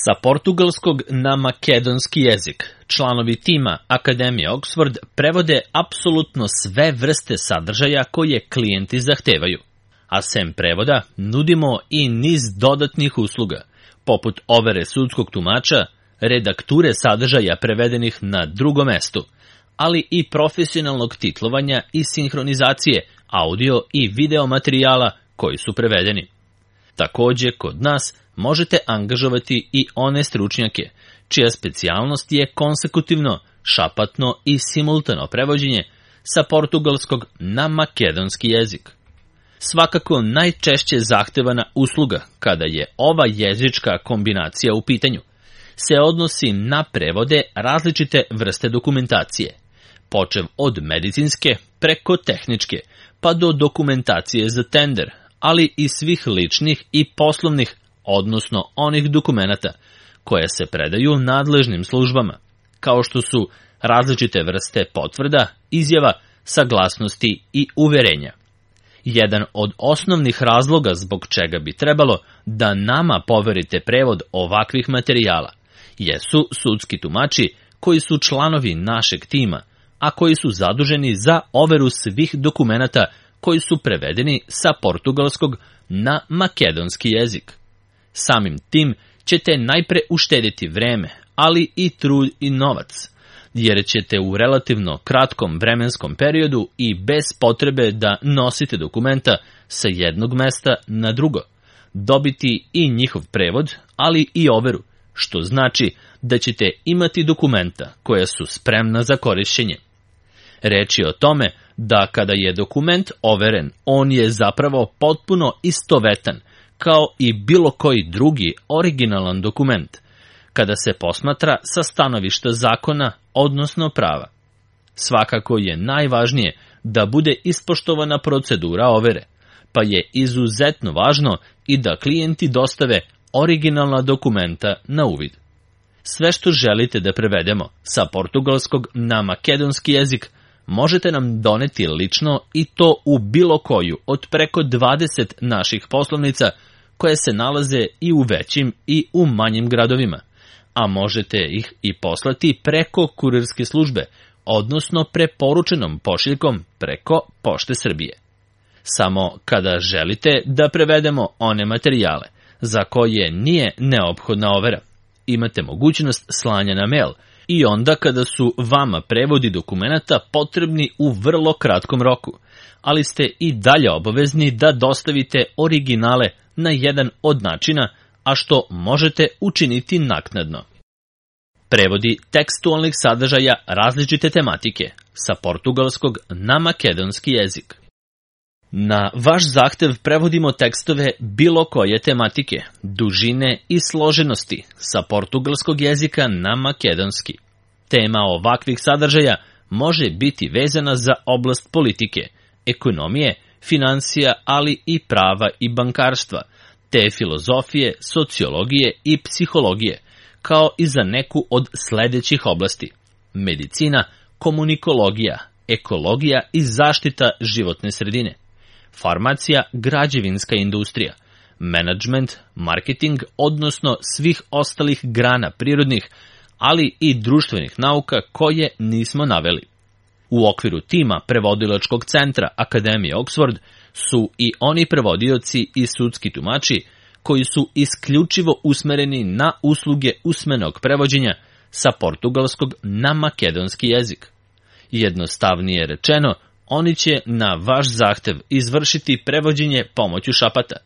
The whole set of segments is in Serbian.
Sa portugalskog na makedonski jezik članovi tima Akademije Oxford prevode apsolutno sve vrste sadržaja koje klijenti zahtevaju. A sem prevoda nudimo i niz dodatnih usluga, poput overe sudskog tumača, redakture sadržaja prevedenih na drugom mestu, ali i profesionalnog titlovanja i sinhronizacije audio i video materijala koji su prevedeni. Takođe, kod nas možete angažovati i one stručnjake, čija specijalnost je konsekutivno, šapatno i simultano prevođenje sa portugalskog na makedonski jezik. Svakako najčešće zahtevana usluga, kada je ova jezička kombinacija u pitanju, se odnosi na prevode različite vrste dokumentacije, počev od medicinske preko tehničke, pa do dokumentacije za tender, ali i svih ličnih i poslovnih, odnosno onih dokumenata koje se predaju nadležnim službama, kao što su različite vrste potvrda, izjava, saglasnosti i uverenja. Jedan od osnovnih razloga zbog čega bi trebalo da nama poverite prevod ovakvih materijala jesu sudski tumači koji su članovi našeg tima, a koji su zaduženi za overu svih dokumenata koji su prevedeni sa portugalskog na makedonski jezik. Samim tim ćete najpre uštediti vreme, ali i trud i novac, jer ćete u relativno kratkom vremenskom periodu i bez potrebe da nosite dokumenta sa jednog mesta na drugo, dobiti i njihov prevod, ali i overu, što znači da ćete imati dokumenta koja su spremna za korišćenje. Reč je o tome da kada je dokument overen, on je zapravo potpuno istovetan, kao i bilo koji drugi originalan dokument, kada se posmatra sa stanovišta zakona, odnosno prava. Svakako je najvažnije da bude ispoštovana procedura overe, pa je izuzetno važno i da klijenti dostave originalna dokumenta na uvid. Sve što želite da prevedemo sa portugalskog na makedonski jezik možete nam doneti lično i to u bilo koju od preko 20 naših poslovnica koje se nalaze i u većim i u manjim gradovima, a možete ih i poslati preko kurirske službe, odnosno preporučenom pošiljkom preko Pošte Srbije. Samo kada želite da prevedemo one materijale za koje nije neophodna overa, imate mogućnost slanja na mail i onda kada su vama prevodi dokumenata potrebni u vrlo kratkom roku, ali ste i dalje obavezni da dostavite originale na jedan od načina, a što možete učiniti naknadno. Prevodi tekstualnih sadržaja različite tematike sa portugalskog na makedonski jezik. Na vaš zahtev prevodimo tekstove bilo koje tematike, dužine i složenosti sa portugalskog jezika na makedonski. Tema ovakvih sadržaja može biti vezana za oblast politike, ekonomije, financija, ali i prava i bankarstva, te filozofije, sociologije i psihologije, kao i za neku od sledećih oblasti: medicina, komunikologija, ekologija i zaštita životne sredine, farmacija, građevinska industrija, menadžment, marketing, odnosno svih ostalih grana prirodnih, ali i društvenih nauka koje nismo naveli. U okviru tima prevodilačkog centra Akademije Oxford su i oni prevodioci i sudski tumači koji su isključivo usmereni na usluge usmenog prevođenja sa portugalskog na makedonski jezik. Jednostavnije rečeno, oni će na vaš zahtev izvršiti prevođenje pomoću šapata,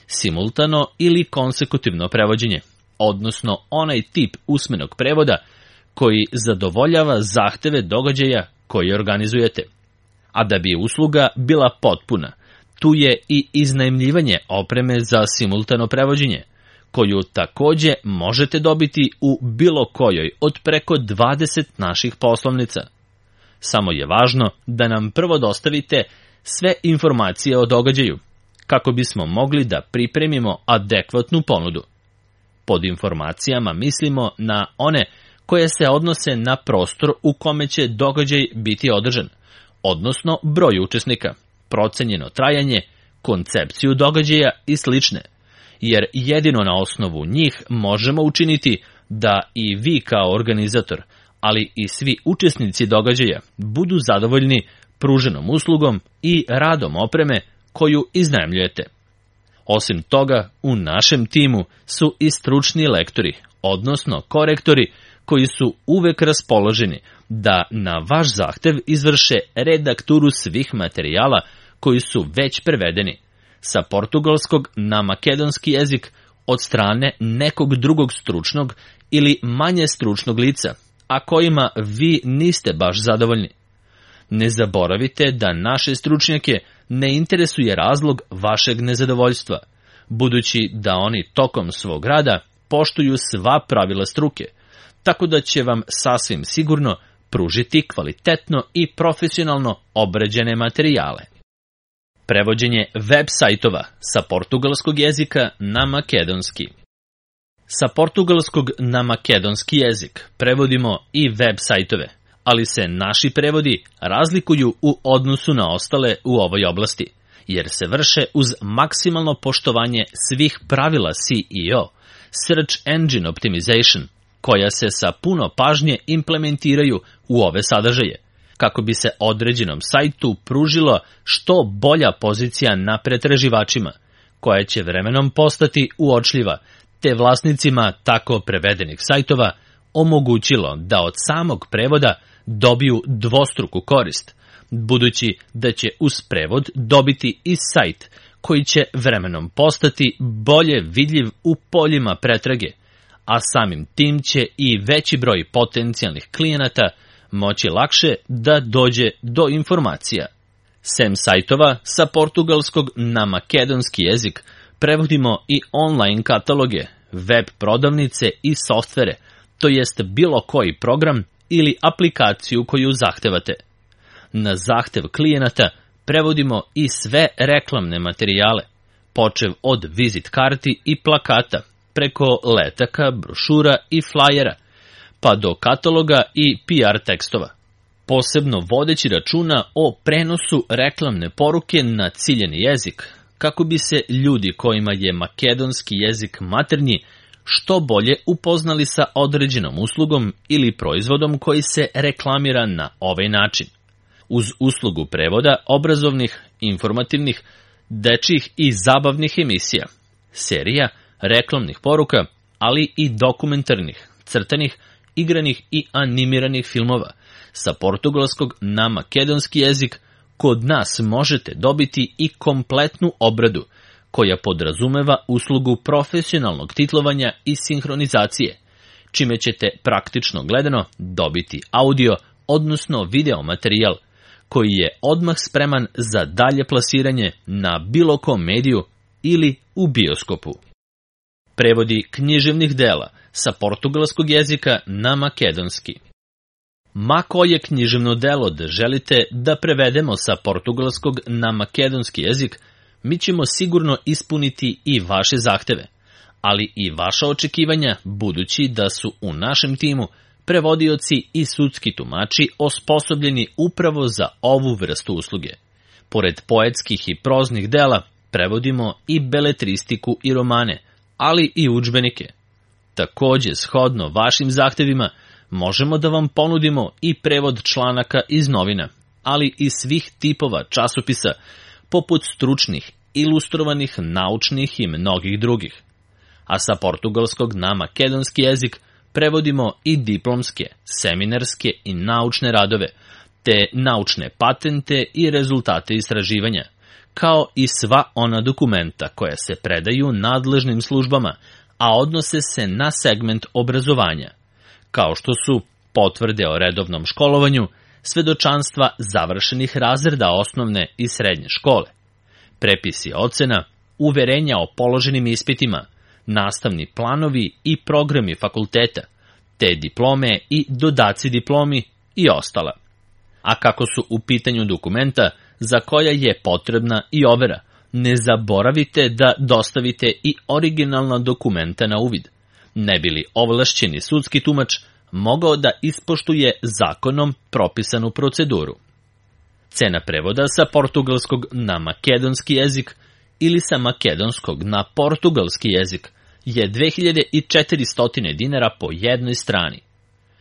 simultano ili konsekutivno prevođenje, odnosno onaj tip usmenog prevoda koji zadovoljava zahteve događaja koje organizujete. A da bi usluga bila potpuna, tu je i iznajmljivanje opreme za simultano prevođenje, koju takođe možete dobiti u bilo kojoj od preko 20 naših poslovnica. Samo je važno da nam prvo dostavite sve informacije o događaju, kako bismo mogli da pripremimo adekvatnu ponudu. Pod informacijama mislimo na one koje se odnose na prostor u kome će događaj biti održan, odnosno broj učesnika, procenjeno trajanje, koncepciju događaja i slične. jer jedino na osnovu njih možemo učiniti da i vi kao organizator, ali i svi učesnici događaja budu zadovoljni pruženom uslugom i radom opreme koju iznajmljujete. Osim toga, u našem timu su i stručni lektori, odnosno korektori, koji su uvek raspoloženi da na vaš zahtev izvrše redakturu svih materijala koji su već prevedeni sa portugalskog na makedonski jezik od strane nekog drugog stručnog ili manje stručnog lica, a kojima vi niste baš zadovoljni. Ne zaboravite da naše stručnjake ne interesuje razlog vašeg nezadovoljstva, budući da oni tokom svog rada poštuju sva pravila struke, tako da će vam sasvim sigurno pružiti kvalitetno i profesionalno obrađene materijale. Prevođenje web sajtova sa portugalskog jezika na makedonski. Sa portugalskog na makedonski jezik prevodimo i web sajtove, ali se naši prevodi razlikuju u odnosu na ostale u ovoj oblasti, jer se vrše uz maksimalno poštovanje svih pravila SEO, Search Engine Optimization, koja se sa puno pažnje implementiraju u ove sadržaje, kako bi se određenom sajtu pružilo što bolja pozicija na pretraživačima, koja će vremenom postati uočljiva, te vlasnicima tako prevedenih sajtova omogućilo da od samog prevoda dobiju dvostruku korist, budući da će uz prevod dobiti i sajt koji će vremenom postati bolje vidljiv u poljima pretrage, a samim tim će i veći broj potencijalnih klijenata moći lakše da dođe do informacija. Sem sajtova sa portugalskog na makedonski jezik prevodimo i online kataloge, web prodavnice i softvere, to jest bilo koji program ili aplikaciju koju zahtevate. Na zahtev klijenata prevodimo i sve reklamne materijale, počev od vizit karti i plakata, preko letaka, brošura i flajera, pa do kataloga i PR tekstova, posebno vodeći računa o prenosu reklamne poruke na ciljeni jezik, kako bi se ljudi kojima je makedonski jezik maternji što bolje upoznali sa određenom uslugom ili proizvodom koji se reklamira na ovaj način. Uz uslugu prevoda obrazovnih, informativnih, dečjih i zabavnih emisija, serija, reklamnih poruka, ali i dokumentarnih, crtanih, igranih i animiranih filmova sa portugalskog na makedonski jezik, kod nas možete dobiti i kompletnu obradu koja podrazumeva uslugu profesionalnog titlovanja i sinhronizacije, čime ćete praktično gledano dobiti audio, odnosno video materijal, koji je odmah spreman za dalje plasiranje na bilo kom mediju ili u bioskopu. Prevodi književnih dela sa portugalskog jezika na makedonski. Ma koje književno delo da želite da prevedemo sa portugalskog na makedonski jezik, mi ćemo sigurno ispuniti i vaše zahteve, ali i vaša očekivanja, budući da su u našem timu prevodioci i sudski tumači osposobljeni upravo za ovu vrstu usluge. Pored poetskih i proznih dela, prevodimo i beletristiku i romane, ali i udžbenike. Takođe, shodno vašim zahtevima, možemo da vam ponudimo i prevod članaka iz novina, ali i svih tipova časopisa, poput stručnih, ilustrovanih, naučnih i mnogih drugih. A sa portugalskog na makedonski jezik prevodimo i diplomske, seminarske i naučne radove, te naučne patente i rezultate istraživanja, kao i sva ona dokumenta koja se predaju nadležnim službama, a odnose se na segment obrazovanja, kao što su potvrde o redovnom školovanju, svedočanstva završenih razreda osnovne i srednje škole, prepisi ocena, uverenja o položenim ispitima, nastavni planovi i programi fakulteta, te diplome i dodaci diplomi i ostala. A kako su u pitanju dokumenta za koja je potrebna i overa, ne zaboravite da dostavite i originalna dokumenta na uvid, ne bi li ovlašćeni sudski tumač mogao da ispoštuje zakonom propisanu proceduru. Cena prevoda sa portugalskog na makedonski jezik ili sa makedonskog na portugalski jezik je 2400 dinara po jednoj strani.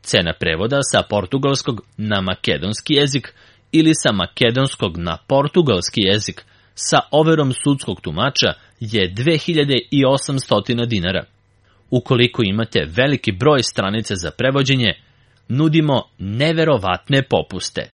Cena prevoda sa portugalskog na makedonski jezik ili sa makedonskog na portugalski jezik sa overom sudskog tumača je 2800 dinara. Ukoliko imate veliki broj stranica za prevođenje, nudimo neverovatne popuste.